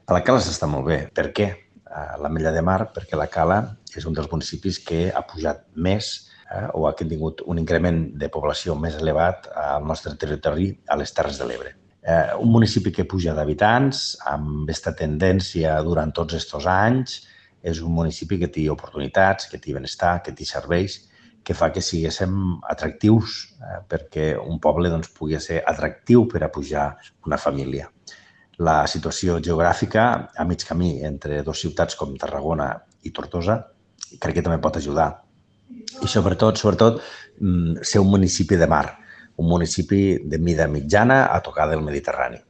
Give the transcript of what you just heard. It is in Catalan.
A la Cala s'està molt bé. Per què? L'Ametlla de Mar, perquè la Cala és un dels municipis que ha pujat més o ha tingut un increment de població més elevat al nostre territori, a les Terres de l'Ebre. Un municipi que puja d'habitants, amb aquesta tendència durant tots aquests anys, és un municipi que té oportunitats, que té benestar, que té serveis, que fa que siguéssim atractius perquè un poble pugui ser atractiu per a pujar una família. La situació geogràfica a mig camí entre dues ciutats com Tarragona i Tortosa crec que també pot ajudar. I sobretot, ser un municipi de mar, un municipi de mida mitjana a tocar del Mediterrani.